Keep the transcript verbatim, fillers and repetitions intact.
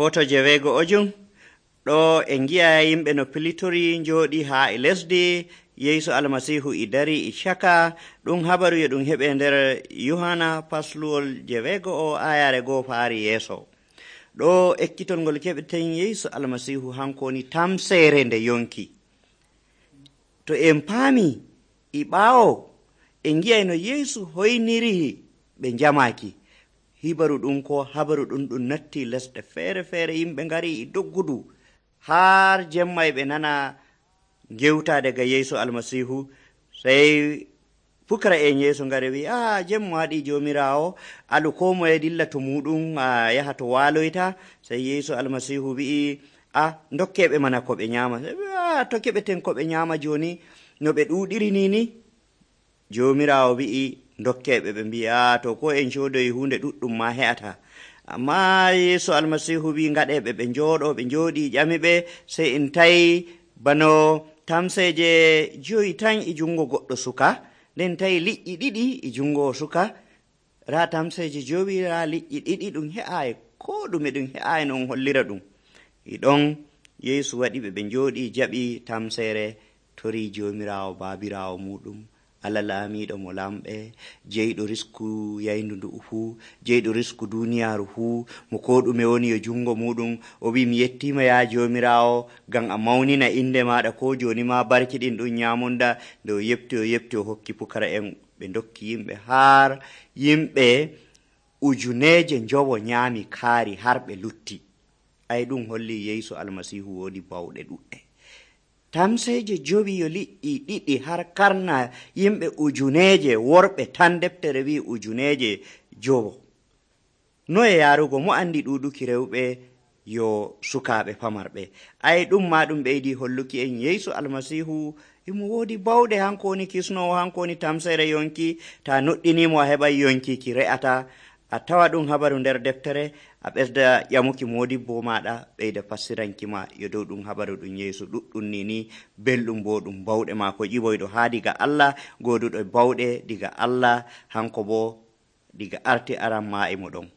Foto jeweego ojum ɗo en gi'a yimɓe no pilitori njooɗi haa e lesdi. Yeesu almasihu e dari e caka. Ɗum habaru yo ɗum heɓe nder Yohana pasluwol jeweego o ayare goo faari yeeso. Ɗo ekkitol ngol keɓeten Yeesu almasihu hankoni tamseere nde yonki. To en paami e ɓaawo en gi'ay no Yeesu hoyniri ɓe njamaki. Hibaru ɗum ko habaru ɗum ɗum natti lesɗe feere feere, yimɓe ngari e doggudu har jemma ɓe nana gewtade ga Yeesu almasihu. Sey fukara en Yeesu ngari wi a jemma waɗi jomirawo, alu ko moye dilla to muɗum a yaha to waloyta. Sey Yeesu almasihu wi'i a dokkeɓe mana ko ɓe nyama. A to keɓeten ko ɓe nyama joni no ɓe ɗuɗiri ni ni. Jomirawo wi'i dokkeɓe, ɓe mbi a to ko en codoyi hunde ɗuɗɗum ma he'ata. Amma Yeesu almasihu wi ngaɗeɓe ɓe njooɗo, ɓe njooɗi ƴamiɓe. Sey en tawi bano tamseje joyi tan e jungo goɗɗo suka, nden tawi liƴƴi ɗiɗi e jungo suka. Ra tamseje jowi, ra liƴƴi ɗiɗi, ɗum he'ayi ko ɗume, ɗum he'ayi non hollira ɗum. E ɗon Yeesu waɗi ɓe ɓe njooɗi jaɓi tamsere, tori jomirawo babirawo muɗum, Allah laamiɗo mo lamɓe, jeyɗo risku yayndu ndu fuu, jeyɗo risku duniyaru fuu, mo ko ɗume woni yo jungo muɗum. O wi mi yettima ya jomirawo ngam a mawnina inde maɗa, ko joni ma barkiɗin ɗum nyamunda. Nde o yepti o yepti o hokki pukara en, ɓe dokki yimɓe har yimɓe ujuneje njowo nyami kaari har ɓe lutti. Ay ɗum holli Yeesu almasihu wodi bawɗe ɗuɗɗe. Tamseje jowi yo liƴƴi ɗiɗi har karna yimɓe ujuneje worɓe tan, deftere wi ujuneje jowo. No e yarugo mo andi ɗuɗuki rewɓe yo sukaɓe pamarɓe. Ay ɗum ma ɗum ɓeydi holluki en Yeesu almasihu imo wodi bawɗe, hanko woni kisnowo, hanko woni tamsere yonki. Ta noɗɗinimo a heɓay yonkiki re'ata. A tawa ɗum habaru nder deftere, a ɓesda ƴamuki modibbo maɗa ɓeyda fassirankima yo dow ɗum habaru ɗum Yeesu ɗuɗɗum ni ni, belɗum bo ɗum bawɗe maako ƴiwoyɗo haa diga Allah, goduɗo bawɗe diga Allah, hanko bo diga arti aran ma e mo ɗon.